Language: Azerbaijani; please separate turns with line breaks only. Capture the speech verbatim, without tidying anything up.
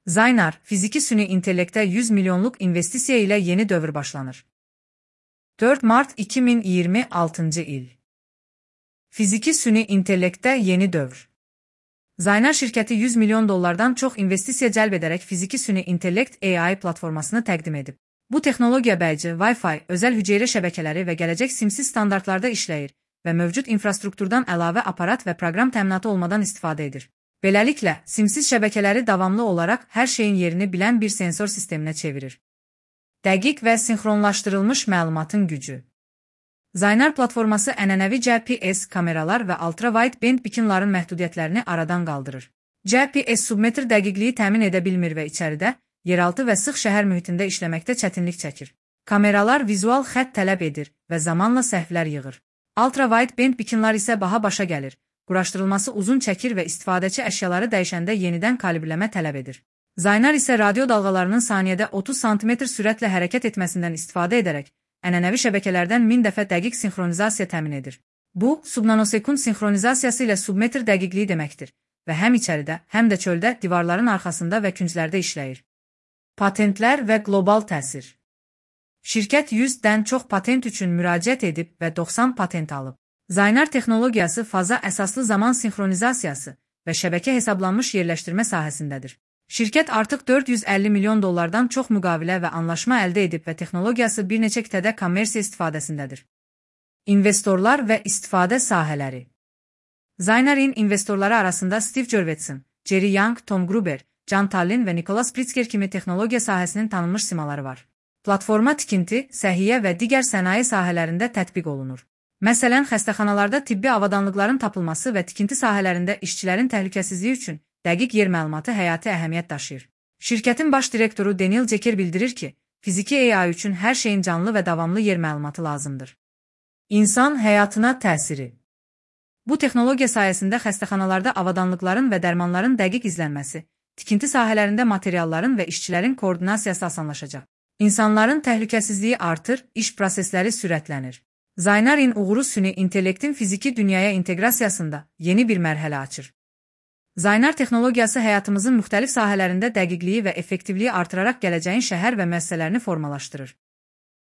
Zaynar, fiziki süni intellektə yüz milyonluq investisiya ilə yeni dövr başlanır. dörd mart iki min iyirmi altıncı il. Fiziki süni intellektə yeni dövr. Zaynar şirkəti yüz milyon dollardan çox investisiya cəlb edərək fiziki süni intellekt A I platformasını təqdim edib. Bu texnologiya bəlcə Wi-Fi, özəl hüceyrə şəbəkələri və gələcək simsiz standartlarda işləyir və mövcud infrastrukturdan əlavə aparat və proqram təminatı olmadan istifadə edir. Beləliklə, simsiz şəbəkələri davamlı olaraq hər şeyin yerini bilən bir sensor sisteminə çevirir. Dəqiq və sinxronlaşdırılmış məlumatın gücü. Zaynar platforması ənənəvi G P S kameralar və ultra-wideband beaconların məhdudiyyətlərini aradan qaldırır. G P S submetr dəqiqliyi təmin edə bilmir və içəridə, yeraltı və sıx şəhər mühitində işləməkdə çətinlik çəkir. Kameralar vizual xətt tələb edir və zamanla səhvlər yığır. Ultra-wideband beaconlar isə baha başa gəlir. Quraşdırılması uzun çəkir və istifadəçi əşyaları dəyişəndə yenidən kalibrləmə tələb edir. Zaynar isə radio dalğalarının saniyədə otuz santimetr sürətlə hərəkət etməsindən istifadə edərək, ənənəvi şəbəkələrdən min dəfə dəqiq sinxronizasiya təmin edir. Bu, subnanosekund sinxronizasiyası ilə submetr dəqiqliyi deməkdir və həm içəridə, həm də çöldə, divarların arxasında və künclərdə işləyir. Patentlər və qlobal təsir. Şirkət yüzdən çox patent üçün müraciət edib və doxsan patent alıb. Zaynar texnologiyası faza əsaslı zaman sinxronizasiyası və şəbəkə hesablanmış yerləşdirmə sahəsindədir. Şirkət artıq dörd yüz əlli milyon dollardan çox müqavilə və anlaşma əldə edib və texnologiyası bir neçə qitədə kommersiya istifadəsindədir. İnvestorlar və istifadə sahələri. Zaynar'in investorları arasında Steve Jurvetson, Jerry Yang, Tom Gruber, John Tallinn və Nicholas Pritzker kimi texnologiya sahəsinin tanınmış simaları var. Platforma tikinti, səhiyyə və digər sənaye sahələrində tətbiq olunur. Məsələn, xəstəxanalarda tibbi avadanlıqların tapılması və tikinti sahələrində işçilərin təhlükəsizliyi üçün dəqiq yer məlumatı həyati əhəmiyyət daşıyır. Şirkətin baş direktoru Daniel Jeker bildirir ki, fiziki A I üçün hər şeyin canlı və davamlı yer məlumatı lazımdır. İnsan həyatına təsiri. Bu texnologiya sayəsində xəstəxanalarda avadanlıqların və dərmanların dəqiq izlənməsi, tikinti sahələrində materialların və işçilərin koordinasiyası asanlaşacaq. İnsanların təhlükəsizliyi artır, iş prosesləri sürətlənir. Zaynar'in uğuru süni intellektin fiziki dünyaya inteqrasiyasında yeni bir mərhələ açır. Zaynar texnologiyası həyatımızın müxtəlif sahələrində dəqiqliyi və effektivliyi artıraraq gələcəyin şəhər və müəssisələrini formalaşdırır.